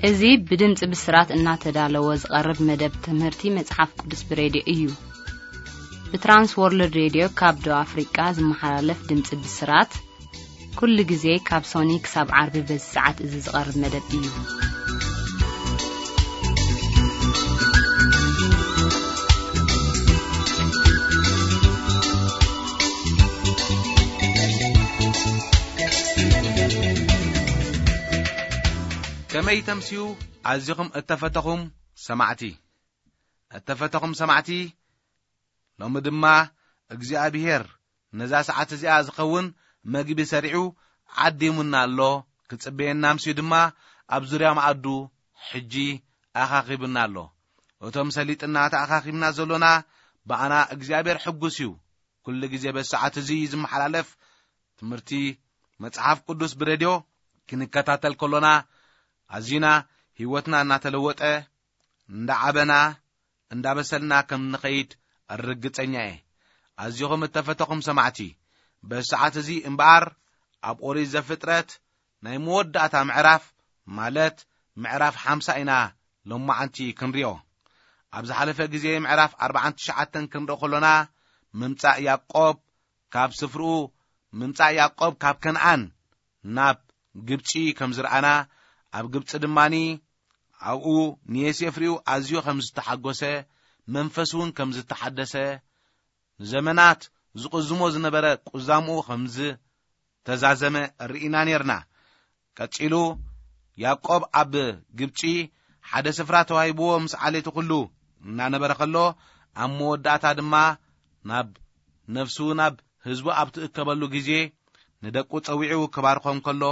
እዚ ብድምፂ ብስራት እናተዳለወ ዝቐርብ መደብ ትምህርቲ መጽሓፍ ቅዱስ ብሬድዮ እዩ። ብትራንስ ወርልድ ሬድዮ ካብ ደቡብ ኣፍሪቃ ዝመሓላለፍ ድምፂ ብስራት፣ ኩሉ ግዜ ካብ ሶኒ ክሳብ ዓርቢ በዚ ሰዓት እዚ ዝቐርብ መደብ እዩ። ከመይ ተምስዩ ኣዚኹም እተፈተኹም ሰማዕቲ? እተፈተኹም ሰማዕቲ፣ ሎሚ ድማ እግዚኣብሔር ነዛ ሰዓት እዚኣ ዝኸውን መግቢ ሰሪዑ ዓዲሙና ኣሎ። ክጽበየና ኣምስዩ ድማ ኣብ ዙርያ መኣዱ ሕጂ ኣኻኺቡና ኣሎ። እቶም ሰሊጥና ተኣኻኺብና ዘሎና ብኣና እግዚኣብሔር ሕጉስ እዩ። ኩሉ ግዜ በዚ ሰዓት እዚ ዝመሓላለፍ ትምህርቲ መጽሓፍ ቅዱስ ብሬድዮ ክንከታተል ከሎና ኣዚና ህይወትና እናተለወጠ እንዳዓበና እንዳበሰልና ከም ንኸይድ ርግጸኛ እየ። ኣዚኹም እተፈተኹም ሰማዕቲ፣ በዚ ሰዓት እዚ እምበኣር ኣብ ኦሪት ዘፍጥረት ናይ መወዳእታ ምዕራፍ፣ ማለት ምዕራፍ ሓምሳ ኢና ሎማዓንቲ ክንሪኦ። ኣብ ዝሓለፈ ግዜ ምዕራፍ ኣርባዓን ትሽዓተን ክንርኢ ከሎና፣ ምምጻእ ያዕቆብ ካብ ስፍርኡ፣ ምምጻእ ያዕቆብ ካብ ከነኣን ናብ ግብጺ ከም ዝረኣና፣ ኣብ ግብጺ ድማኒ ኣብኡ ንዮሴፍ ሪኡ ኣዝዩ ከም ዝተሓጎሰ፣ መንፈስ እውን ከም ዝተሓደሰ፣ ንዘመናት ዝቕዝሞ ዝነበረ ቁዛምኡ ከም ዝተዛዘመ ርኢና ኔርና። ቀጺሉ ያዕቆብ ኣብ ግብጺ ሓደ ስፍራ ተዋሂብዎ ምስ ዓሌቱ ኩሉ እናነበረ ከሎ፣ ኣብ መወዳእታ ድማ ናብ ነፍሱ ናብ ህዝቡ ኣብ ትእከበሉ ግዜ ንደቁ ጸዊዑ ክባርኾም ከሎ፣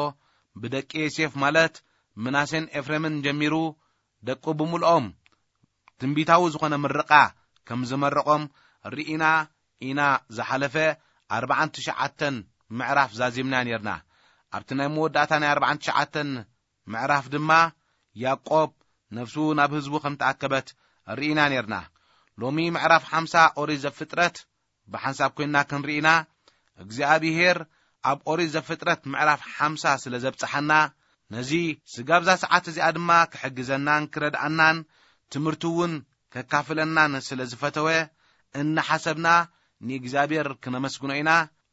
ብደቂ ዮሴፍ ማለት ምናሴን ኤፍሬምን ጀሚሩ ደቁ ብምልኦም ትንቢታዊ ዝኾነ ምርቓ ከም ዝመረቖም ርኢና ኢና። ዝሓለፈ ኣርባዓን ትሽዓተን ምዕራፍ ዛዚምና ኔርና። ኣብቲ ናይ መወዳእታ ናይ ኣርባዓን ትሽዓተን ምዕራፍ ድማ ያዕቆብ ነፍሱ ናብ ህዝቡ ከም ተኣከበት ርኢና ኔርና። ሎሚ ምዕራፍ ሓምሳ ኦሪት ዘፍጥረት ብሓንሳብ ኮይንና ክንርኢና፣ እግዚኣብሄር ኣብ ኦሪት ዘፍጥረት ምዕራፍ ሓምሳ ስለ ዘብጽሓና፣ ነዚ ስጋብ እዛ ሰዓት እዚኣ ድማ ክሕግዘናን ክረድኣናን፣ ትምህርቲ እውን ከካፍለናን ስለ ዝፈተወ፣ እናሓሰብና ንእግዚኣብሔር ክነመስግኖ ኢና።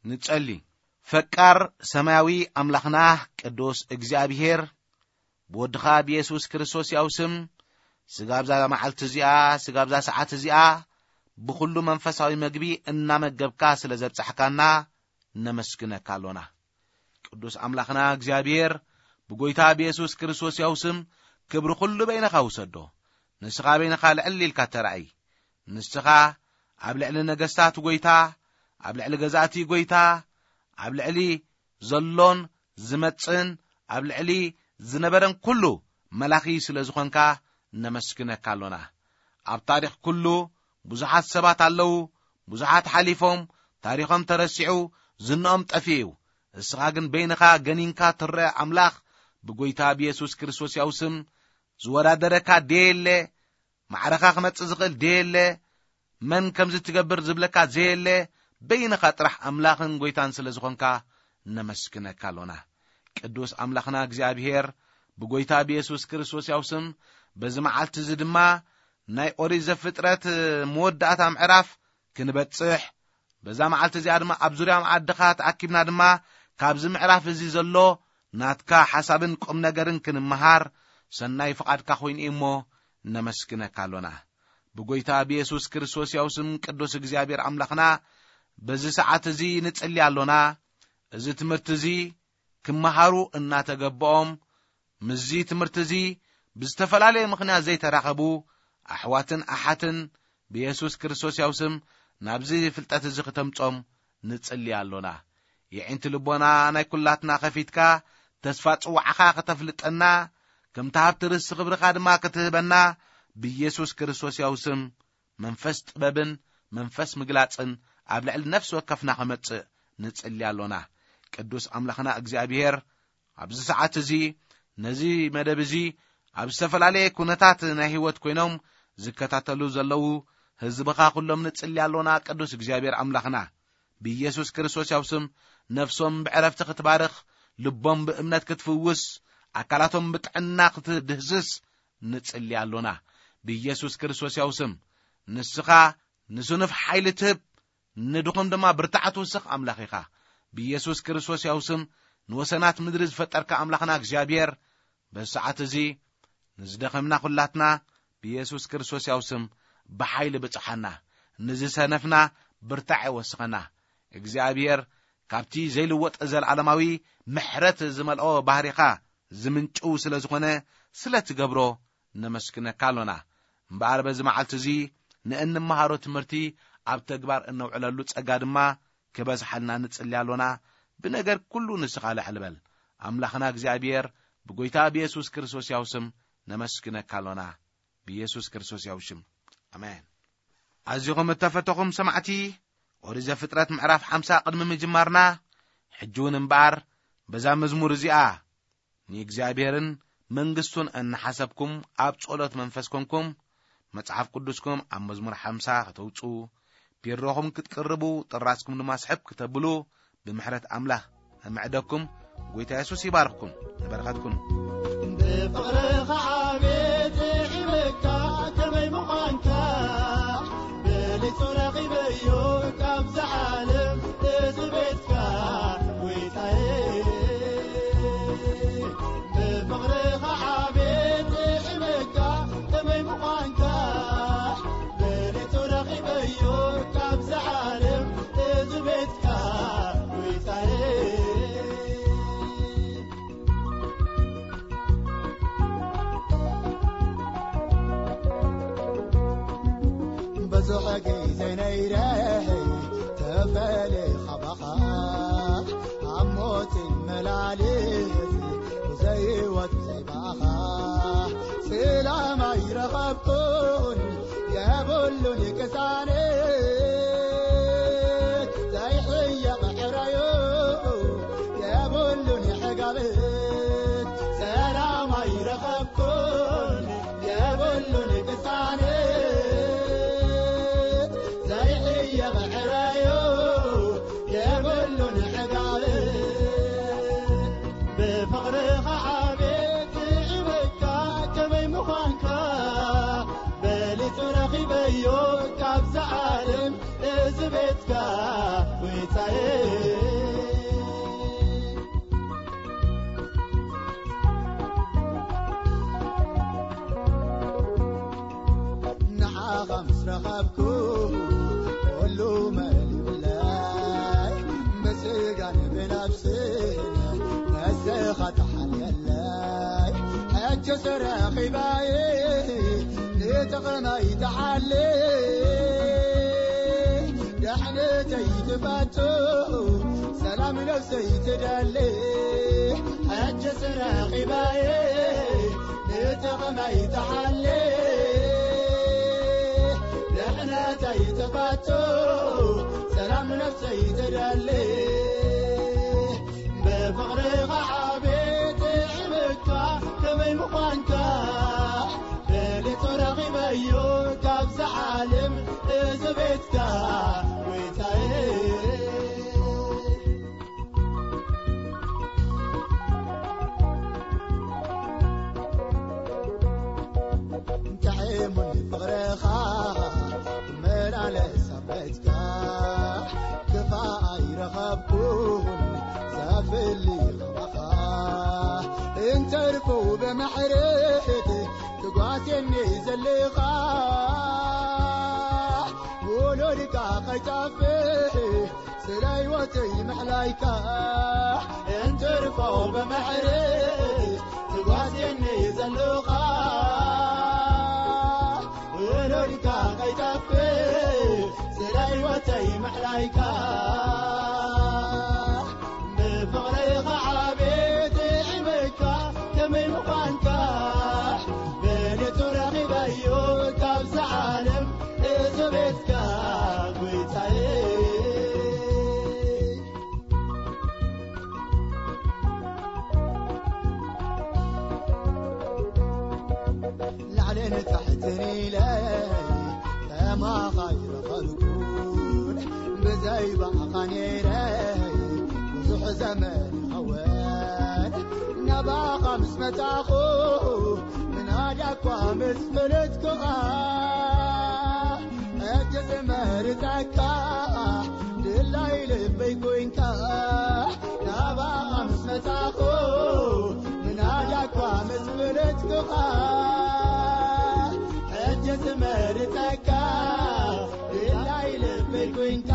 ንጸሊ። ፈቃር ሰማያዊ ኣምላኽና ቅዱስ እግዚኣብሄር፣ ብወድኻ ብየሱስ ክርስቶስ ያው ስም፣ ስጋብ እዛ መዓልቲ እዚኣ፣ ስጋብ እዛ ሰዓት እዚኣ፣ ብኹሉ መንፈሳዊ መግቢ እናመገብካ ስለ ዘብጻሕካና፣ ነመስግነካ ኣሎና። ቅዱስ ኣምላኽና እግዚኣብሔር፣ ብጎይታ ብየሱስ ክርስቶስ ያው ስም፣ ክብሪ ኩሉ በይንኻ ውሰዶ። ንስኻ በይንኻ ልዕል ኢልካ ተራእይ። ንስኻ ኣብ ልዕሊ ነገስታት ጎይታ፣ ኣብ ልዕሊ ገዛእቲ ጎይታ፣ ኣብ ልዕሊ ዘሎን ዝመጽእን፣ ኣብ ልዕሊ ዝነበረን ኩሉ መላኺ ስለ ዝኾንካ፣ ነመስግነካ ኣሎና። ኣብ ታሪኽ ኩሉ ብዙሓት ሰባት ኣለዉ፣ ብዙሓት ሓሊፎም፣ ታሪኾም ተረሲዑ፣ ዝንኦም ጠፊኡ እዩ። እስኻ ግን በይንኻ ገኒንካ ትረአ ኣምላኽ፣ ብጎይታ ብየሱስ ክርስቶስ ያው ስም ዝወዳደረካ ደየለ፣ ማዕረኻ ክመጽእ ዝኽእል ደየለ፣ መን ከምዚ ትገብር ዝብለካ ዘየለ፣ በይንኻ ጥራሕ ኣምላኽን ጎይታን ስለ ዝኾንካ ነመስግነካ ኣሎና። ቅዱስ ኣምላኽና እግዚኣብሄር፣ ብጎይታ ብየሱስ ክርስቶስ ያው ስም፣ በዚ መዓልቲ እዚ ድማ ናይ ኦሪት ዘፍጥረት መወዳእታ ምዕራፍ ክንበጽሕ፣ በዛ መዓልቲ እዚኣ ድማ ኣብ ዙርያ መኣድኻ ተኣኪብና ድማ ካብዚ ምዕራፍ እዚ ዘሎ ናትካ ሓሳብን ቁም ነገርን ክንመሃር ሰናይ ፍቓድካ ኮይኑ እዩ እሞ ነመስግነካ ኣሎና። ብጎይታ ብየሱስ ክርስቶስ ያው ስም ቅዱስ እግዚኣብሔር ኣምላኽና በዚ ሰዓት እዚ ንጽሊ ኣሎና። እዚ ትምህርቲ እዚ ክመሃሩ እናተገበኦም፣ ምስዚ ትምህርቲ እዚ ብዝተፈላለየ ምኽንያት ዘይተራኸቡ ኣሕዋትን ኣሓትን ብየሱስ ክርስቶስ ያው ስም ናብዚ ፍልጠት እዚ ክተምጾም ንጽሊ ኣሎና። የዒንቲ ልቦና ናይ ኩላትና ኸፊትካ ተስፋ ጽዋዕኻ ከተፍልጠና፣ ከምቲ ሃብቲ ርስቲ ክብርኻ ድማ ክትህበና ብየሱስ ክርስቶስ ያው ስም መንፈስ ጥበብን መንፈስ ምግላጽን ኣብ ልዕሊ ነፍሲ ወከፍና ክመጽእ ንጽሊ ኣሎና። ቅዱስ ኣምላኽና እግዚኣብሔር፣ ኣብዚ ሰዓት እዚ ነዚ መደብ እዚ ኣብ ዝተፈላለየ ኩነታት ናይ ህይወት ኮይኖም ዝከታተሉ ዘለዉ ህዝብኻ ኩሎም ንጽሊ ኣሎና። ቅዱስ እግዚኣብሔር ኣምላኽና፣ ብኢየሱስ ክርስቶስ ያው ስም ነፍሶም ብዕረፍቲ ክትባርኽ፣ ልቦም ብእምነት ክትፍውስ፣ ኣካላቶም ብጥዕና ክትድህስስ ንጽሊ ኣሎና። ብኢየሱስ ክርስቶስ ያው ስም ንስኻ ንስኑፍ ሓይሊ ትህብ፣ ንድኹም ድማ ብርታዕ ትውስኽ ኣምላኽ ኢኻ። ብኢየሱስ ክርስቶስ ያው ስም ንወሰናት ምድሪ ዝፈጠርካ ኣምላኽና እግዚኣብሔር በዚ ሰዓት እዚ ንዝደኸምና ኩላትና ብኢየሱስ ክርስቶስ ያው ስም ብሓይሊ ብጽሓና፣ ንዝሰነፍና ብርታዕ ወስኸና። እግዚኣብሔር ካብቲ ዘይልወጥ ዘለዓለማዊ ምሕረት ዝመልኦ ባህሪኻ ዝምንጭው ስለ ዝኾነ ስለ ትገብሮ ነመስግነካ ኣሎና። እምበኣር በዚ መዓልቲ እዚ ንእንመሃሮ ትምህርቲ ኣብ ተግባር እነውዕለሉ ጸጋ ድማ ክበዝሓልና ንጽሊ ኣሎና። ብነገር ኩሉ ንስኻ ልዕል በል። ኣምላኽና እግዚኣብሔር ብጎይታ ብየሱስ ክርስቶስ ያው ስም ነመስግነካ ኣሎና። ብየሱስ ክርስቶስ ያው ሽም። ኣሜን። ኣዚኹም እተፈተኹም ሰማዕቲ፣ ኦሪት ዘፍጥረት ምዕራፍ ሓምሳ ቅድሚ ምጅማርና፣ ሕጂ እውን እምበኣር በዛ መዝሙር እዚኣ ንእግዚኣብሔርን መንግስቱን እናሓሰብኩም ኣብ ጸሎት መንፈስ ኮንኩም መጽሓፍ ቅዱስኩም ኣብ መዝሙር ሓምሳ ከተውጽኡ፣ ቢሮኹም ክትቅርቡ፣ ጥራዝኩም ድማ ስሕብ ክተብሉ ብምሕረት ኣምላኽ እምዕደኩም። ጎይታ የሱስ ይባርኽኩም። ንበረኸትኩም። ብፍቕርኻ ዓቤት ይዕበካ ከመይ ምዃንካ፣ በሊጹ ረኺበዮ ካብዛ ዓለም እዚ ቤትካ፣ ጎይታየ። ብፍቕርኻ ዓቤት ይዕበካ ከመይ ምዃንካ፣ በሊጹ ረኺበዮ ካብዛ ዓለም እዚ ቤትካ፣ ጎይታየ። ብዙሕ ግዜ ነይረ ተፈልየ ካባኻ፣ ኣብ ሞት መላልስ ብዘይወት ብዘይባኻ፣ ሰላም ኣይረኸብኩን የብሉን ቅሳነት፣ ዘይሕየቕ ሕራዮ የብሉን ሕጋበት፣ ሰላም ኣይረኸብኩን የብሉን ቅሳነት፣ ዘይሕየቕ ሕራዮ የብሉን ሕጋበት። ብፍቕርኻ ዓቤት ይዕበካ ከመይ ምዃንካ፣ በሊጹ ረኺበዮ ካብዛ ዓለም እዚ ቤትካ፣ ጎይታየ። ንዓኻ ምስ ረኸብኩ ኩሉ መሊኡለይ፣ ብስጋን ብነፍስን ንስኻ ተሓልየለይ። ሕጂ ስረኺባየ ንጥቕመይ ተሓሊ፣ ደሕነተይ ትፈቱ ሰላም ነፍሰይ ትደሊ። ሕጂ ስረኺባየ ንጥቕመይ ተሓሊ፣ ድሕነተይ ትፈቱ ሰላም ነፍሰይ ትደሊ። ብፍቕርኻ ዓቤት ይዕበካ ከመይ ምዃንካ፣ በሊጹ ረኺበዮ ካብዛ ዓለም እዚ ቤትካ፣ ጎይታየ። ጥዒሙኒ ፍቕርኻ ክመላለስ ኣብ ቤትካ፣ ክፋእ ኣይረኸብኩን ዘፍሊ ኸማኻ። እንተርፎ ብማሕረት ትጓስየኒ ዘለኻ፣ ውሉድካ ከይጠፍእ ስለ ህይወተይ ምሕላይካ፣ እንትርፎ ብማሕረት ትጓስየኒ ዘለኻ፣ ውሉድካ ከይጠፍእ ስለ ህይወተይ ምሕላይካ። ብፍቕርኻ ዓቤት ይዕበካ ከመይ ምዃንካ፣ በሊጹ ረኺበዮ ካብዛ ዓለም እዚ ቤትካ፣ ጎይታየ። ላዕልን ታሕትን ኢለ ከማኻ ኣይረኸብኩን፣ ብዘይ ባዕኻ ነይረ ብዙሕ ዘመን ይኸውን። ኣባኻ ምስ መጻኹ ምናዳ እኳ ምስ ፈለጥኩኻ፣ ሕጂ ዝመርጸካ ድላይ ልበይ ኮንካ። ናባኻ ምስ መጻኹ ምናዳ እኳ ምስ ፈለጥኩኻ፣ ሕጂ ዝመርጸካ ድላይ ልበይ ኮንካ።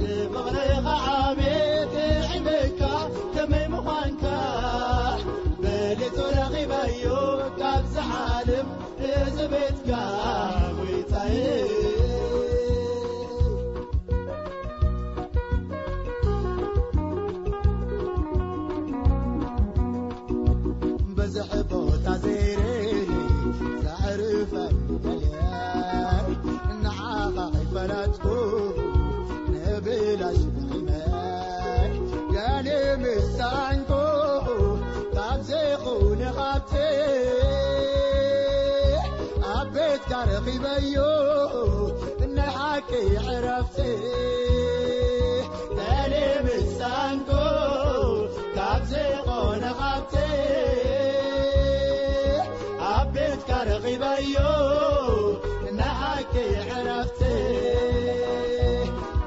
ንፍቕርኻ ዓቤት ይዕበካ ከመይ ምዃንካ፣ በሊጹ ረኺበዮ ካብዛ ዓለም እዚ ቤትካ ጎይታየ። በዝሕ ቦታ ዘይርኢ ዘዕርፈኒ ገለ፣ ንዓኻ ኣይፈለጥኩ ንብላሽ ንኺመይ። ገለ ምሳንኩ ካብ ዘይኹነ ሃብቲ ኣብ ቤትካ ረኺበዮ ናይ ሓቂ ዕረፍቲ። ገለ ምሳንኩ ካብ ዘይኾነ ሃብቲ ኣብ ቤትካ ረኺበዮ ናይ ሓቂ ዕረፍቲ።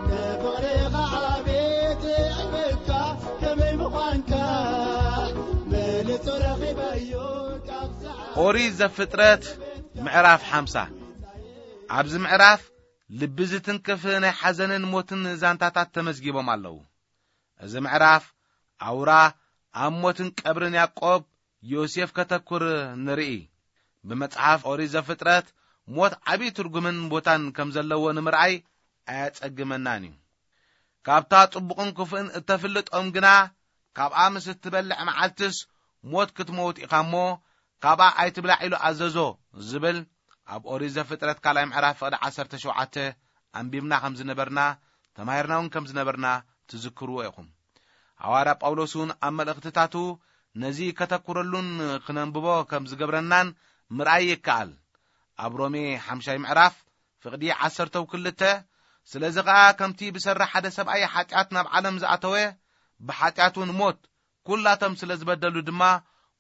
ንፍቕርኻ ዓቤት ይዕበካ ከመይ ምዃንካ፣ በሊጹ ረኺበዮ ካብዛ ኦሪት ዘፍጥረት ምዕራፍ ሓምሳ። ኣብዚ ምዕራፍ ልቢ ዝትንክፍ ናይ ሓዘንን ሞትን ዛንታታት ተመዝጊቦም ኣለዉ። እዚ ምዕራፍ ኣውራ ኣብ ሞትን ቀብርን ያዕቆብ ዮሴፍ ከተኩር ንርኢ። ብመጽሓፍ ኦሪት ዘፍጥረት ሞት ዓቢ ትርጉምን ቦታን ከም ዘለዎ ንምርኣይ ኣየጸግመናን እዩ። ካብታ ጽቡቕን ክፉእን እተፍልጦም ግና፣ ካብኣ ምስ እትበልዕ መዓልትስ ሞት ክትመውት ኢኻ እሞ፣ ካብኣ ኣይትብላዕ ኢሉ ኣዘዞ ዝብል ኣብ ኦሪት ዘፍጥረት ካልኣይ ምዕራፍ ፍቕዲ ዓሰርተ ሸውዓተ ኣንቢብና ከም ዝነበርና፣ ተማሂርና እውን ከም ዝነበርና ትዝክርዎ ኢኹም። ሃዋርያ ጳውሎስ እውን ኣብ መልእኽትታቱ ነዚ ከተኩረሉን ክነንብቦ ከም ዝገብረናን ምርኣይ ይከኣል። ኣብ ሮሜ ሓምሻይ ምዕራፍ ፍቕዲ ዓሰርተው ክልተ፣ ስለዚ ኸኣ ከምቲ ብሰሪ ሓደ ሰብኣይ ሓጢኣት ናብ ዓለም ዝኣተወ፣ ብሓጢኣት እውን ሞት፣ ኩላቶም ስለ ዝበደሉ ድማ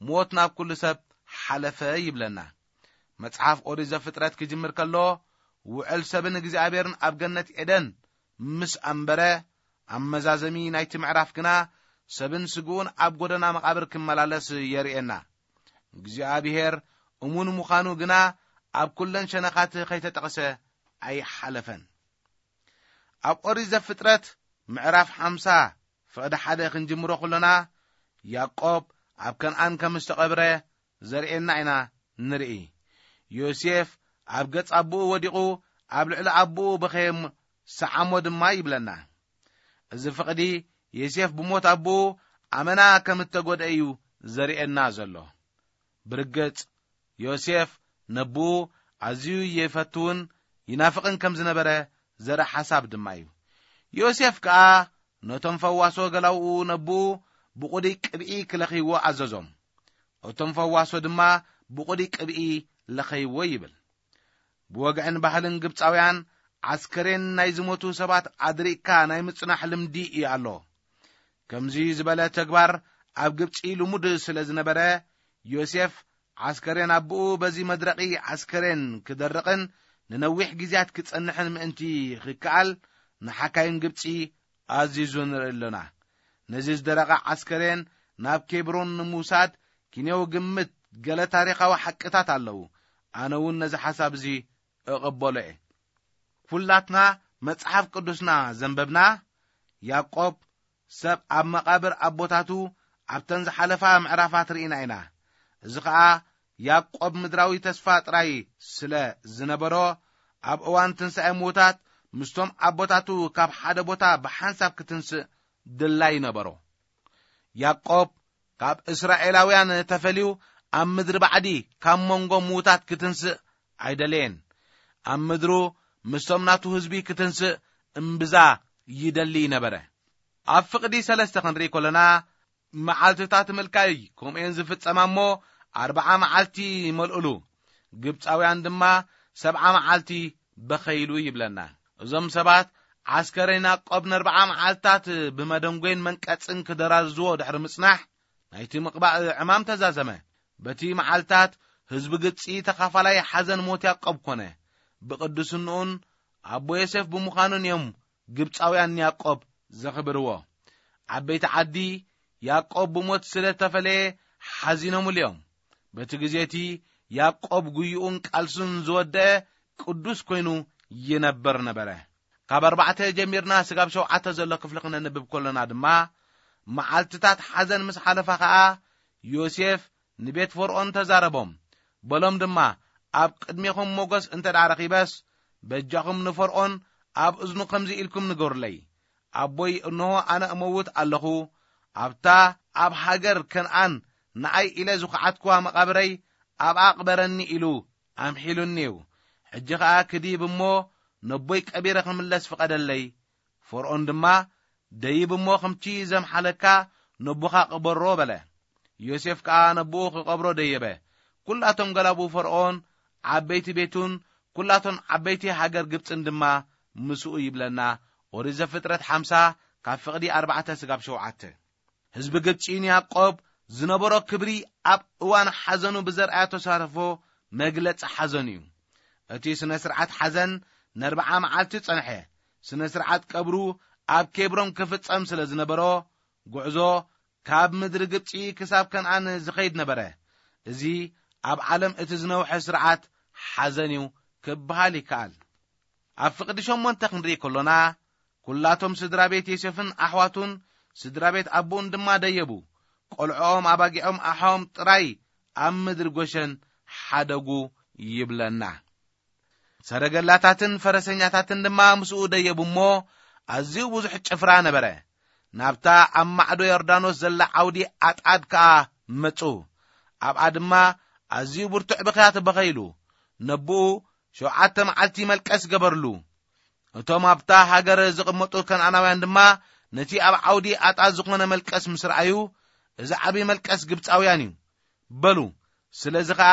ሞት ናብ ኩሉ ሰብ ሓለፈ ይብለና። መጽሓፍ ኦሪት ዘፍጥረት ክጅምር ከሎ፣ ውዕል ሰብን እግዚኣብሔርን ኣብ ገነት ኤደን ምስ ኣንበረ፣ ኣመዛዘሚ ናይቲ ምዕራፍ ግና ሰብን ስግኡን ኣብ ጎደና መቓብር ክመላለስ የርእየና። እግዚኣብሔር እሙን ምዃኑ ግና ኣብ ኩለን ሸነኻት ከይተጠቕሰ ኣይሓለፈን። ኣብ ኦሪት ዘፍጥረት ምዕራፍ ሓምሳ ፍቕዲ ሓደ ክንጅምሮ ከሎና፣ ያዕቆብ ኣብ ከነኣን ከም ዝተቐብረ ዘርእየና ኢና ንርኢ። ዮሴፍ ኣብ ገጽ ኣቦኡ ወዲቑ ኣብ ልዕሊ ኣቦኡ በኸየ፣ ሰዓሞ ድማ ይብለና። እዚ ፍቕዲ ዮሴፍ ብሞት ኣቦኡ ኣመና ከም እተጎድአ እዩ ዘርእየና ዘሎ። ብርግጽ፣ ዮሴፍ ነቦኡ ኣዝዩ ይፈትውን ይናፍቕን ከም ዝነበረ ዘርኢ ሓሳብ ድማ እዩ። ዮሴፍ ከኣ ነቶም ፈዋሶ ገላውኡ ነቦኡ ብቑዱይ ቅብኢ ክለኽይዎ ኣዘዞም። እቶም ፈዋሶ ድማ ብቑዱይ ቅብኢ ለኸይዎ ይብል። ብወግዕን ባህልን ግብጻውያን፣ ዓስከሬን ናይ ዝሞቱ ሰባት ኣድሪቕካ ናይ ምጽናሕ ልምዲ እዩ ኣሎ። ከምዚ ዝበለ ተግባር ኣብ ግብጺ ልሙድ ስለ ዝነበረ፣ ዮሴፍ ዓስከሬን ኣቦኡ በዚ መድረቒ ዓስከሬን ክደርቕን ንነዊሕ ግዜያት ክጸንሕን ምእንቲ ክከኣል፣ ንሓካይም ግብጺ ኣዚዙ ንርኢ ኣሎና። ነዚ ዝደረቐ ዓስከሬን ናብ ኬብሮን ንምውሳድ ኪንዮው ግምት ገለ ታሪኻዊ ሓቅታት ኣለዉ። ኣነ እውን ነዚ ሓሳብ እዚ እቕበሎ እየ። ኩላትና መጽሓፍ ቅዱስና ዘንበብና፣ ያዕቆብ ሰብ ኣብ መቓብር ኣቦታቱ ኣብተን ዝሓለፋ ምዕራፋት ርኢና ኢና። እዚ ኸኣ ያዕቆብ ምድራዊ ተስፋ ጥራይ ስለ ዝነበሮ፣ ኣብ እዋን ትንሳኤ ምዉታት ምስቶም ኣቦታቱ ካብ ሓደ ቦታ ብሓንሳብ ክትንስእ ድላይ ነበሮ። ያዕቆብ ካብ እስራኤላውያን ተፈልዩ ኣብ ምድሪ ባዕዲ ካብ መንጎ ምዉታት ክትንስእ ኣይደለየን። ኣብ ምድሩ ምስቶም ናቱ ህዝቢ ክትንስእ እምብዛ ይደሊ ነበረ። ኣብ ፍቕዲ ሰለስተ ክንርኢ ከለና፣ መዓልትታት ምልካይ ከምኡ'የን ዝፍጸማ እሞ፣ ኣርብዓ መዓልቲ ይመልኡሉ። ግብጻውያን ድማ ሰብዓ መዓልቲ በኸይሉ ይብለና። እዞም ሰባት ዓስከሬን ያዕቆብ ንኣርብዓ መዓልትታት ብመደንጎይን መንቀጽን ክደራዝዎ ድሕሪ ምጽናሕ፣ ናይቲ ምቕባእ ዕማም ተዛዘመ። በቲ መዓልታት ህዝቢ ግብጺ ተኻፋላይ ሓዘን ሞት ያዕቆብ ኮነ። ብቕድስንኡን ኣቦ ዮሴፍ ብምዃኑን እዮም ግብጻውያን ንያዕቆብ ዘኽብርዎ። ዓበይቲ ዓዲ ያዕቆብ ብሞት ስለ ተፈለየ ሓዚኖምሉ እዮም። በቲ ግዜ እቲ ያዕቆብ ጉይኡን ቃልሱን ዝወደአ ቅዱስ ኮይኑ ይነብር ነበረ። ካብ ኣርባዕተ ጀሚርና ስጋብ ሸውዓተ ዘሎ ክፍሊ ክነንብብ ከሎና ድማ፣ መዓልትታት ሓዘን ምስ ሓለፋ ኸኣ፣ ዮሴፍ ንቤት ፈርኦን ተዛረቦም። በሎም ድማ፣ ኣብ ቅድሜኹም ሞገስ እንተ ደኣ ረኺበስ፣ በጃኹም ንፈርኦን ኣብ እዝኑ ከምዚ ኢልኩም ንገሩለይ፣ ኣቦይ እንሆ ኣነ እመውት ኣለኹ፣ ኣብታ ኣብ ሃገር ከነኣን ንኣይ ኢለ ዝኹዓትክዋ መቓብረይ ኣብኣ ቅበረኒ ኢሉ ኣምሒሉኒ እዩ። ሕጂ ኸኣ ክድይብ እሞ ነቦይ ቀቢረ ክምለስ ፍቐደለይ። ፈርኦን ድማ፣ ደይብ እሞ ከምቲ ዘምሓለካ ነቦኻ ቅበሮ በለ። ዮሴፍ ከኣ ነቦኡ ክቐብሮ ደየበ። ኩላቶም ገላቡ ፈርኦን፣ ዓበይቲ ቤቱን ኩላቶም ዓበይቲ ሃገር ግብጽን ድማ ምስኡ ይብለና። ኦሪት ዘፍጥረት ሓምሳ ካብ ፍቕዲ ኣርባዕተ ስጋብ ሸውዓተ። ህዝቢ ግብጺ ንያዕቆብ ዝነበሮ ክብሪ ኣብ እዋን ሓዘኑ ብዘርኣዮ ተሳትፎ መግለጺ ሓዘኑ እዩ። እቲ ስነ ስርዓት ሓዘን ነርብዓ መዓልቲ ጸንሐ። ስነ ስርዓት ቀብሩ ኣብ ኬብሮን ክፍጸም ስለ ዝነበሮ፣ ጉዕዞ ካብ ምድሪ ግብጺ ክሳብ ከነኣን ዝኸይድ ነበረ። እዚ ኣብ ዓለም እቲ ዝነውሐ ስርዓት ሓዘን እዩ ክበሃል ይከኣል። ኣብ ፍቕዲ ሸሞንተ ክንርኢ ከሎና፣ ኩላቶም ስድራ ቤት ዮሴፍን ኣሕዋቱን ስድራ ቤት ኣቦኡን ድማ ደየቡ። ቆልዖኦም፣ ኣባጊዖም፣ ኣሖም ጥራይ ኣብ ምድሪ ጎሸን ሓደጉ ይብለና። ሰረገላታትን ፈረሰኛታትን ድማ ምስኡ ደየቡ እሞ፣ ኣዝዩ ብዙሕ ጭፍራ ነበረ። ናብታ ኣብ ማዕዶ ዮርዳኖስ ዘላ ዓውዲ ኣጣድ ከኣ መጹ። ኣብኣ ድማ ኣዝዩ ብርቱዕ ብኽያት በኸይሉ። ነብኡ ሸውዓተ መዓልቲ መልቀስ ገበርሉ። እቶም ኣብታ ሃገር ዝቕመጡ ከነኣናውያን ድማ ነቲ ኣብ ዓውዲ ኣጣድ ዝኾነ መልቀስ ምስ ረኣዩ፣ "እዚ ዓቢ መልቀስ ግብጻውያን እዩ" በሉ። ስለዚ ኸኣ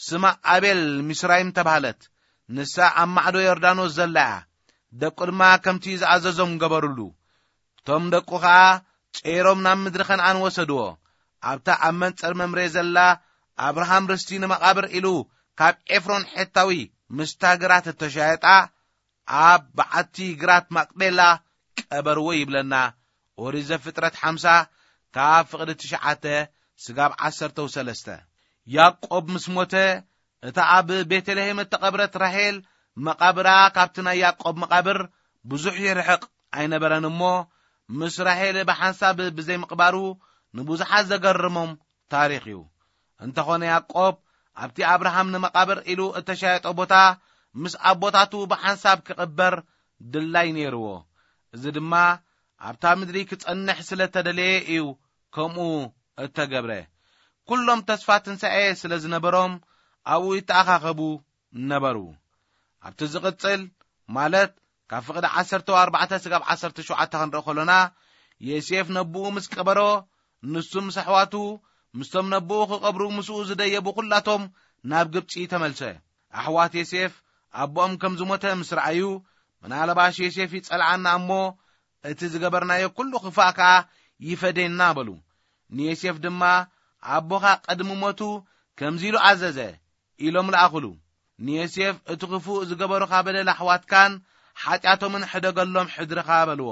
ስማ ኣቤል ሚስራይም ተባህለት። ንሳ ኣብ ማዕዶ ዮርዳኖስ ዘላ እያ። ደቁ ድማ ከምቲ ዝኣዘዞም ገበሩሉ። እቶም ደቁ ኸኣ ጸይሮም ናብ ምድሪ ከነኣን ወሰድዎ። ኣብታ ኣብ መንጸር መምሬ ዘላ ኣብርሃም ርስቲ ንመቓብር ኢሉ ካብ ኤፍሮን ሔታዊ ምስታ ግራት እተሻየጣ ኣብ በዓቲ ግራት ማቅጴላ ቀበርዎ ይብለና። ኦሪት ዘፍጥረት ሓምሳ ካብ ፍቕዲ ትሽዓተ ስጋብ ዓሰርተው ሰለስተ። ያዕቆብ ምስ ሞተ፣ እታ ኣብ ቤተልሔም እተቐብረት ራሄል መቓብራ ካብቲ ናይ ያዕቆብ መቓብር ብዙሕ ይርሕቕ ኣይነበረን እሞ፣ ምስ ራሄል ብሓንሳብ ብዘይምቕባሩ ንብዙሓት ዘገርሞም ታሪኽ እዩ። እንተኾነ ያዕቆብ ኣብቲ ኣብርሃም ንመቓብር ኢሉ እተሻየጦ ቦታ ምስ ኣቦታቱ ብሓንሳብ ክቕበር ድላይ ነይርዎ። እዚ ድማ ኣብታ ምድሪ ክጸንሕ ስለ እተደለየ እዩ ከምኡ እተገብረ። ኩሎም ተስፋ ትንሳኤ ስለ ዝነበሮም ኣብኡ ይተኣኻኸቡ ነበሩ። ኣብቲ ዝቕጽል፣ ማለት ካብ ፍቕዲ ዓሰርተ ኣርባዕተ ስጋብ ዓሰርተ ሸውዓተ ክንርኢ ከሎና፣ ዮሴፍ ነብኡ ምስ ቀበሮ፣ ንሱ ምስ ኣሕዋቱ፣ ምስቶም ነብኡ ክቐብሩ ምስኡ ዝደየቡ ኩላቶም ናብ ግብጺ ተመልሰ። ኣሕዋት ዮሴፍ ኣቦኦም ከም ዝሞተ ምስ ረኣዩ፣ "ምናልባሽ ዮሴፍ ይጸልኣና እሞ፣ እቲ ዝገበርናዮ ኩሉ ክፋእ ከኣ ይፈደየና" በሉ። ንዮሴፍ ድማ፣ "ኣቦኻ ቅድሚ ሞቱ ከምዚ ኢሉ ኣዘዘ" ኢሎም ለኣኹሉ። ንዮሴፍ፣ "እቲ ክፉእ ዝገበሩኻ በደል ኣሕዋትካን ሓጢኣቶምን ሕደገሎም ሕድርኻ" በልዎ።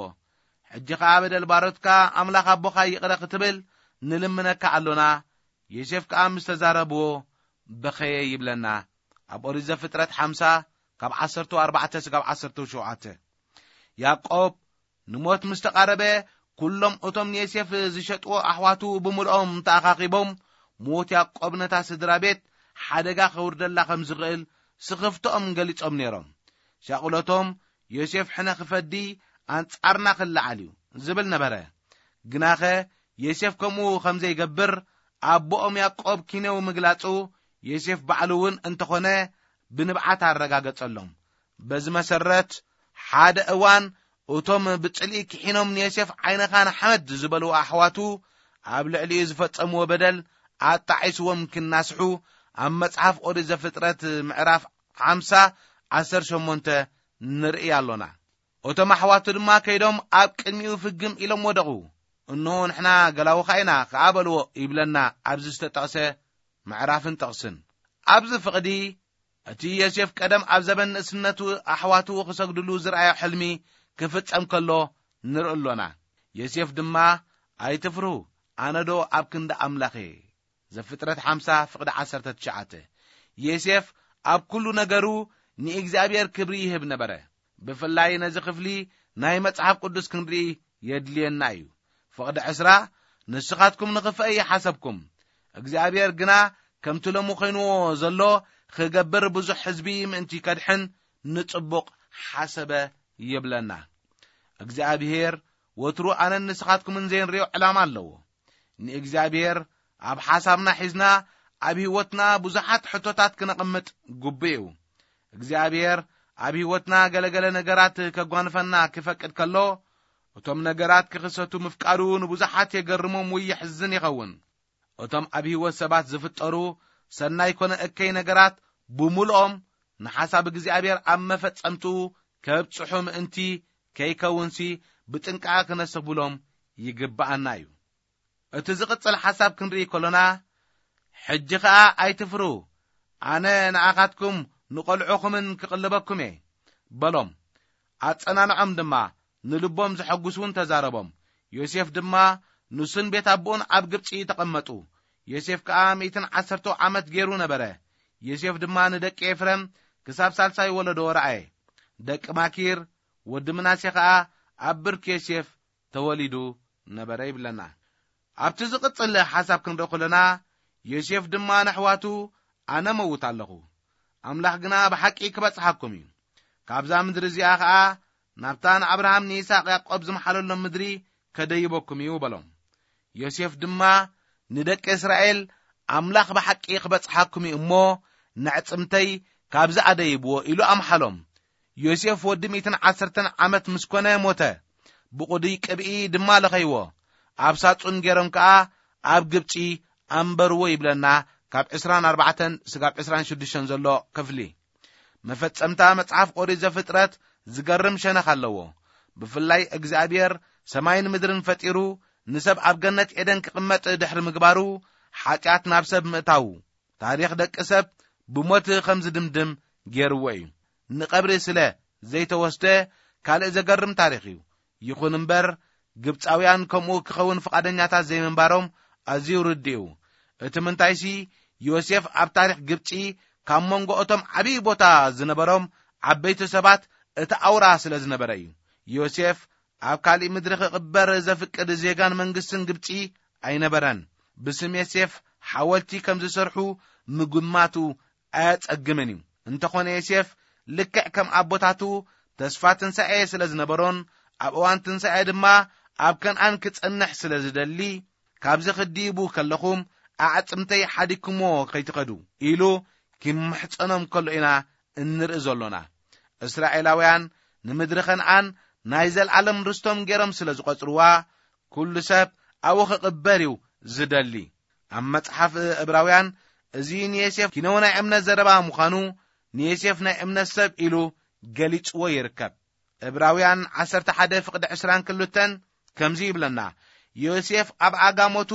"ሕጂ ኸኣ በደል ባሮትካ ኣምላኽ ኣቦኻ ይቕረ ክትብል ንልምነካ ኣሎና።" ዮሴፍ ከኣ ምስ ተዛረብዎ በኸየ ይብለና። ኣብ ኦሪት ዘፍጥረት ሓምሳ ካብ ዓሰርተ ኣርባዕተ ስጋብ ዓሰርተ ሸውዓተ። ያዕቆብ ንሞት ምስ ተቓረበ፣ ኩሎም እቶም ንዮሴፍ ዝሸጥዎ ኣሕዋቱ ብምልኦም ተኣኻኺቦም፣ ሞት ያዕቆብ ነታ ስድራ ቤት ሓደጋ ከውርደላ ከም ዝኽእል ስኽፍትኦም ገሊጾም ነይሮም። ሻቕሎቶም፣ "ዮሴፍ ሕነ ክፈዲ ኣንጻርና ክለዓል እዩ" ዝብል ነበረ። ግናኸ ዮሴፍ ከምኡ ከም ዘይገብር ኣቦኦም ያዕቆብ ኪነው ምግላጹ፣ ዮሴፍ ባዕሉ እውን እንተኾነ ብንብዓት ኣረጋገጸሎም። በዚ መሰረት፣ ሓደ እዋን እቶም ብጽልኢ ክሒኖም ንዮሴፍ ዓይንኻ ንሓመድ ዝበልዎ ኣሕዋቱ ኣብ ልዕሊኡ ዝፈጸምዎ በደል ኣጣዒስዎም ክናስሑ፣ ኣብ መጽሓፍ ኦሪት ዘፍጥረት ምዕራፍ ሓምሳ ዓሰርተ ሸሞንተ ንርኢ ኣሎና። እቶም ኣሕዋቱ ድማ ከይዶም ኣብ ቅድሚኡ ፍግም ኢሎም ወደቑ። እንሆ ንሕና ገላውኻ ኢና ከኣ በልዎ ይብለና ኣብዚ ዝተጠቕሰ ምዕራፍን ጥቕስን። ኣብዚ ፍቕዲ እቲ ዮሴፍ ቀደም ኣብ ዘበን ንእስነቱ ኣሕዋቱ ክሰግድሉ ዝረኣዮ ሕልሚ ክፍጸም ከሎ ንርኢ ኣሎና። ዮሴፍ ድማ ኣይትፍርሁ፣ ኣነዶ ኣብ ክንዲ ኣምላኽ እየ። ዘፍጥረት ሓምሳ ፍቕዲ ዓሰርተ ትሽዓተ። ዮሴፍ ኣብ ኩሉ ነገሩ ንእግዚኣብሔር ክብሪ ይህብ ነበረ። ብፍላይ ነዚ ክፍሊ ናይ መጽሓፍ ቅዱስ ክንርኢ የድልየና እዩ። ፍቕዲ ዕስራ፣ ንስኻትኩም ንኽፍአ ይሓሰብኩም፣ እግዚኣብሔር ግና ከምቲ ሎሚ ኮይንዎ ዘሎ ክገብር ብዙሕ ህዝቢ ምእንቲ ከድሕን ንጽቡቕ ሓሰበ ይብለና። እግዚኣብሔር ወትሩ ኣነን ንስኻትኩምን ዘይንሪኦ ዕላማ ኣለዎ። ንእግዚኣብሔር ኣብ ሓሳብና ሒዝና ኣብ ህይወትና ብዙሓት ሕቶታት ክነቐምጥ ግቡእ እዩ። እግዚኣብሔር ኣብ ህይወትና ገለገለ ነገራት ከጓንፈና ክፈቅድ ከሎ፣ እቶም ነገራት ክኽሰቱ ምፍቃዱ ንብዙሓት የገርሞም ወይ የሕዝን ይኸውን። እቶም ኣብ ህይወት ሰባት ዝፍጠሩ ሰናይ ኮነ እከይ ነገራት ብምልኦም ንሓሳብ እግዚኣብሔር ኣብ መፈጸምትኡ ከብጽሑ ምእንቲ ከይከውንሲ ብጥንቃቐ ክነሰብሎም ይግብኣና እዩ። እቲ ዝቕጽል ሓሳብ ክንርኢ ከሎና፣ ሕጂ ኸኣ ኣይትፍሩ፣ ኣነ ንኣኻትኩም ንቖልዑኹምን ክቕልበኩም እየ በሎም። ኣጸናንዖም ድማ፣ ንልቦም ዘሐጉስ እውን ተዛረቦም። ዮሴፍ ድማ ንሱን ቤት ኣቦኡን ኣብ ግብጺ ተቐመጡ። ዮሴፍ ከኣ ሚእትን ዓሰርተ ዓመት ገይሩ ነበረ። ዮሴፍ ድማ ንደቂ ኤፍሬም ክሳብ ሳልሳይ ወለዶ ረኣየ። ደቂ ማኪር ወዲ ምናሴ ኸኣ ኣብ ብርክ ዮሴፍ ተወሊዱ ነበረ ይብለና። ኣብቲ ዝቕጽል ሓሳብ ክንርኢ ከለና፣ ዮሴፍ ድማ ንኣሕዋቱ፣ ኣነ መውት ኣለኹ፣ ኣምላኽ ግና ብሓቂ ክበጽሓኩም እዩ፣ ካብዛ ምድሪ እዚኣ ኸኣ ናብታ ንኣብርሃም ንይስሐቅ ያዕቆብ ዝመሓለሎም ምድሪ ከደይበኩም እዩ በሎም። ዮሴፍ ድማ ንደቂ እስራኤል፣ ኣምላኽ ብሓቂ ክበጽሓኩም እዩ እሞ፣ ነዕጽምተይ ካብዚ ኣደይብዎ ኢሉ ኣምሓሎም። ዮሴፍ ወዲ ሚእትን ዓሰርተን ዓመት ምስ ኮነ ሞተ። ብቑዱይ ቅብኢ ድማ ለኸይዎ፣ ኣብ ሳጹን ገይሮም ከኣ ኣብ ግብጺ ኣንበርዎ ይብለና፣ ካብ ዕስራን ኣርባዕተን ስጋብ ዕስራን ሽዱሽተን ዘሎ ክፍሊ። መፈጸምታ መጽሓፍ ኦሪት ዘፍጥረት ዝገርም ሸነኽ ኣለዎ። ብፍላይ እግዚኣብሔር ሰማይን ምድርን ፈጢሩ ንሰብ ኣብ ገነት ኤደን ክቕመጥ ድሕሪ ምግባሩ፣ ሓጢኣት ናብ ሰብ ምእታዉ፣ ታሪኽ ደቂ ሰብ ብሞት ከም ዝድምድም ገይርዎ እዩ። ንቐብሪ ስለ ዘይተወስደ ካልእ ዘገርም ታሪኽ እዩ። ይኹን እምበር፣ ግብጻውያን ከምኡ ክኸውን ፍቓደኛታት ዘይምንባሮም ኣዝዩ ርዱእ እዩ። እቲ ምንታይሲ፣ ዮሴፍ ኣብ ታሪኽ ግብጺ ካብ መንጎ እቶም ዓብዪ ቦታ ዝነበሮም ዓበይቲ ሰባት እቲ ኣውራ ስለ ዝነበረ እዩ። ዮሴፍ ኣብ ካሊእ ምድሪ ክቕበር ዘፍቅድ ዜጋን መንግስትን ግብጺ ኣይነበረን። ብስም ዮሴፍ ሓወልቲ ከም ዝሰርሑ ምግማቱ ኣያጸግምን እዩ። እንተኾነ ዮሴፍ ልክዕ ከም ኣቦታቱ ተስፋ ትንሳኤ ስለ ዝነበሮን ኣብ እዋን ትንሳኤ ድማ ኣብ ከነኣን ክጸንሕ ስለ ዝደሊ፣ ካብዚ ክድይቡ ከለኹም ኣዕጽምተይ ሓዲግኩሞ ከይትኸዱ ኢሉ ክምሕጸኖም ከሎ ኢና እንርኢ ዘሎና። እስራኤላውያን ንምድሪ ከነኣን ናይ ዘልኣለም ርስቶም ገይሮም ስለ ዝቖጽርዋ፣ ኩሉ ሰብ ኣብኡ ክቕበር እዩ ዝደሊ። ኣብ መጽሓፍ እብራውያን፣ እዚ ንዮሴፍ ኪነው ናይ እምነት ዘረባ ምዃኑ፣ ንዮሴፍ ናይ እምነት ሰብ ኢሉ ገሊጽዎ ይርከብ። እብራውያን ዓሰርተ ሓደ ፍቕዲ ዕስራን ክልተን ከምዚ ይብለና፣ ዮሴፍ ኣብ ኣጋ ሞቱ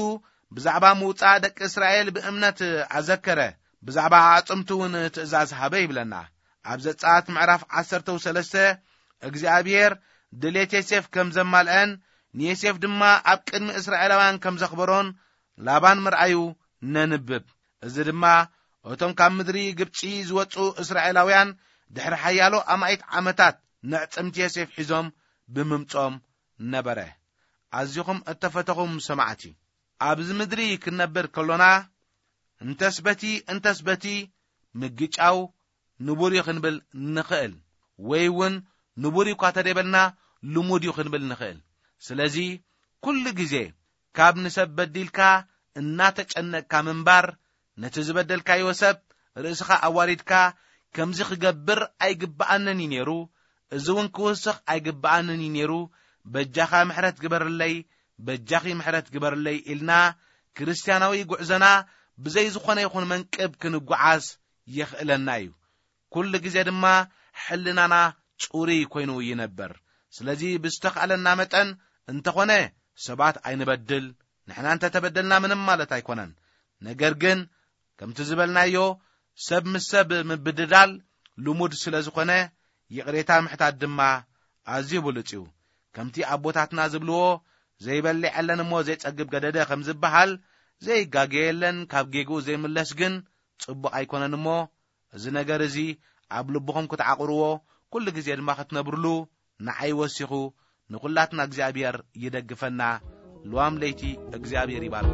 ብዛዕባ ምውጻእ ደቂ እስራኤል ብእምነት ኣዘከረ፣ ብዛዕባ ኣዕጽምቱ እውን ትእዛዝ ሃበ ይብለና። ኣብ ዘጸኣት ምዕራፍ ዓሰርተ ሰለስተ፣ እግዚኣብሔር ድሌት ዮሴፍ ከም ዘማልአን ንዮሴፍ ድማ ኣብ ቅድሚ እስራኤላውያን ከም ዘኽበሮን ላባን ምርኣዩ ነንብብ። እዚ ድማ እቶም ካብ ምድሪ ግብጺ ዝወጹ እስራኤላውያን ድሕሪ ሓያሎ ኣማኢት ዓመታት ነዕጽምቲ ዮሴፍ ሒዞም ብምምጾም ነበረ። ኣዚኹም እተፈተኹም ሰማዕቲ፣ ኣብዚ ምድሪ ክንነብር ከሎና እንተስ በቲ እንተስ በቲ ምግጫው ንቡር እዩ ክንብል ንኽእል፣ ወይ እውን ንቡር እዩ እኳ ተደይበልና ልሙድ እዩ ክንብል ንኽእል። ስለዚ ኩሉ ግዜ ካብ ንሰብ በዲልካ እናተጨነቅካ ምንባር፣ ነቲ ዝበደልካዮ ሰብ ርእስኻ ኣዋሪድካ ከምዚ ክገብር ኣይግብኣንን እዩ ነይሩ፣ እዚ እውን ክውስኽ ኣይግብኣንን እዩ ነይሩ፣ በጃኻ ምሕረት ግበርለይ፣ በጃኺ ምሕረት ግበርለይ ኢልና ክርስትያናዊ ጉዕዞና ብዘይ ዝኾነ ይኹን መንቅብ ክንጓዓዝ የኽእለና እዩ። ኩሉ ግዜ ድማ ሕልናና ጽሩይ ኮይኑ ይነብር። ስለዚ ብዝተኻእለና መጠን እንተኾነ ሰባት ኣይንበድል። ንሕና እንተተበደልና ምንም ማለት ኣይኮነን። ነገር ግን ከምቲ ዝበልናዮ፣ ሰብ ምስ ሰብ ምብድዳል ልሙድ ስለ ዝኾነ፣ ይቕሬታ ምሕታት ድማ ኣዝዩ ብሉጽ እዩ። ከምቲ ኣቦታትና ዝብልዎ፣ ዘይበልዕ የለን እሞ ዘይጸግብ ገደደ ከም ዝበሃል፣ ዘይጋገ የለን፣ ካብ ጌግኡ ዘይምለስ ግን ጽቡቕ ኣይኮነን እሞ፣ እዚ ነገር እዚ ኣብ ልብኹም ክትዓቑርዎ፣ ኩሉ ግዜ ድማ ክትነብርሉ፣ ንዓይ ወሲኹ ንኹላትና እግዚኣብሔር ይደግፈና። ልዋም ለይቲ እግዚኣብሔር ይባርክ።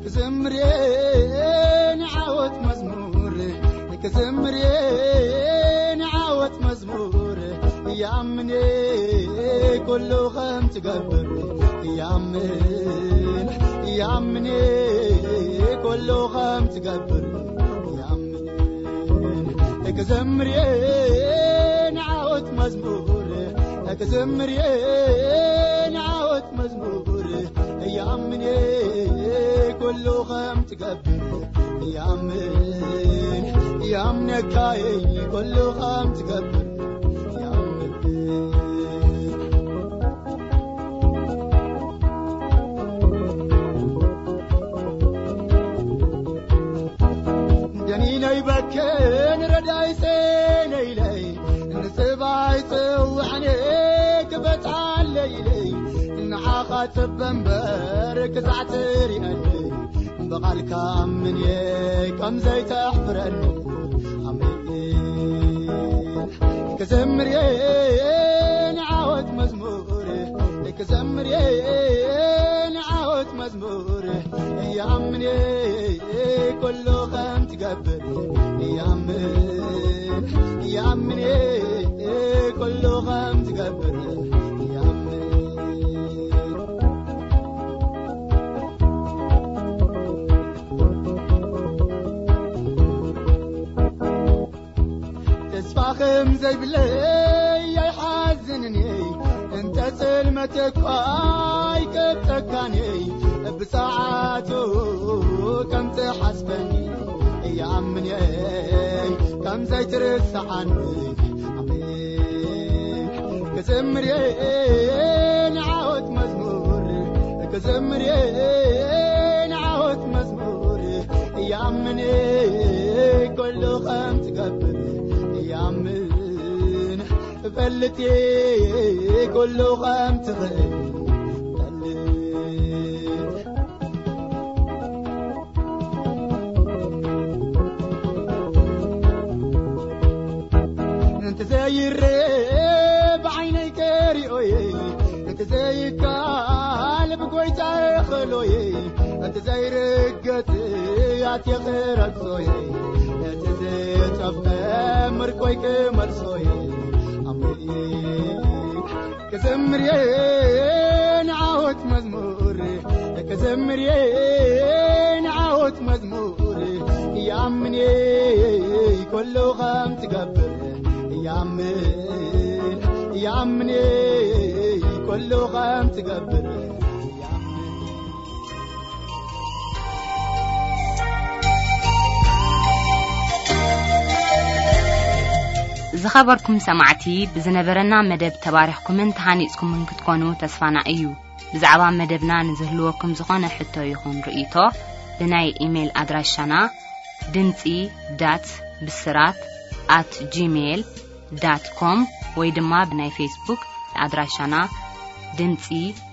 ክዘምር እየ ንዓወት መዝሙር፣ ክዘምር እየ ንዓወት መዝሙር፣ ይኣምን እየ ኩሉ ከም ትገብር፣ ይኣምን፣ ይኣምን እየ ኩሉ ከም ትገብር፣ ይኣምን። ክዘምር እየ ንዓወት መዝሙር፣ ክዘምር እየ ንዓወት መዝሙር፣ ይኣምን እየ ኩሉ ከም ትገብር፣ ይኣምን፣ ይኣምነካ እየ ኩሉ ከም ትገብር፣ ይኣምን። ደኒነይ በክን ረዳይ ጸነይለይ፣ ንጽባይ ጽውዕኔ ክበጽሓለይለይ፣ ንዓኻ ጽበ እምበር ክሳዕ ትሪኣኒ፣ ብቓልካ ኣምንየ ከም ዘይተሕፍረኒ። ኣሜን። ክዘምር እየ ንዓወት መዝሙር፣ ክዘምር እየ ንዓወት መዝሙር፣ ይኣምን እየ ኩሉ ከም ትገብር፣ ይኣምን፣ ይኣምን እየ ኩሉ ከም ትገብር፣ ይኣምን። ተስፋ ከም ዘይብለይ ኣይሓዝንን እየ፣ እንተ ጽልመት እኳ ኣይቀብጸካን እየ፣ ብሰዓቱ ከም ትሓስበኒ ይኣምን እየ፣ ከም ዘይትርስዓኒ። ኣሜን። ክዘምር እየ ንዓወት መዝሙር፣ ክዘምር እየ ንዓወት መዝሙር፣ ይኣምን እየ ኩሉ ከም ትገብር፣ ይኣምን፣ እፈልጥ እየ ኩሉ ከም ትኽእል፣ እፈልጥ። እንተ ዘይረ ብዓይነይ ከሪኦየ፣ እንተ ዘይካል ብጎይታ ኸሎየ፣ እንተ ዘይርገጽ ኣትየ ክረግጾየ፣ እንተ ዘየጸፍቀ ምርኮይ ክመልሶየ። ኣሜን። ክዘምር እየ ንዓወት መዝሙር፣ ክዘምር እየ ንዓወት መዝሙር፣ ይኣምን እየ ኩሉ ከም ትገብር፣ ይኣምን፣ ይኣምን እየ ኩሉ ከም ትገብር፣ ይኣምን። ዝኸበርኩም ሰማዕቲ፣ ብዝነበረና መደብ ተባሪኽኩምን ተሃኒጽኩምን ክትኮኑ ተስፋና እዩ። ብዛዕባ መደብና ንዝህልወኩም ዝኾነ ሕቶ ይኹን ርእይቶ፣ ብናይ ኢሜይል ኣድራሻና ድምጺ ዳት ብስራት ኣት ጂሜይል ዳት ኮም ወይ ድማ ብናይ ፌስቡክ ኣድራሻና ድምጺ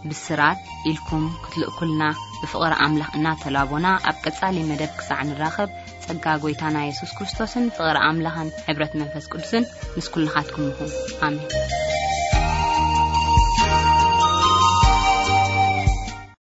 ብስራት ኢልኩም ክትልእኩልና ብፍቕሪ ኣምላኽ እናተላቦና፣ ኣብ ቀጻሊ መደብ ክሳዕ ንራኸብ፣ ጸጋ ጐይታና የሱስ ክርስቶስን ፍቕሪ ኣምላኽን ሕብረት መንፈስ ቅዱስን ምስ ኩልኻትኩም ይኹን። ኣሜን።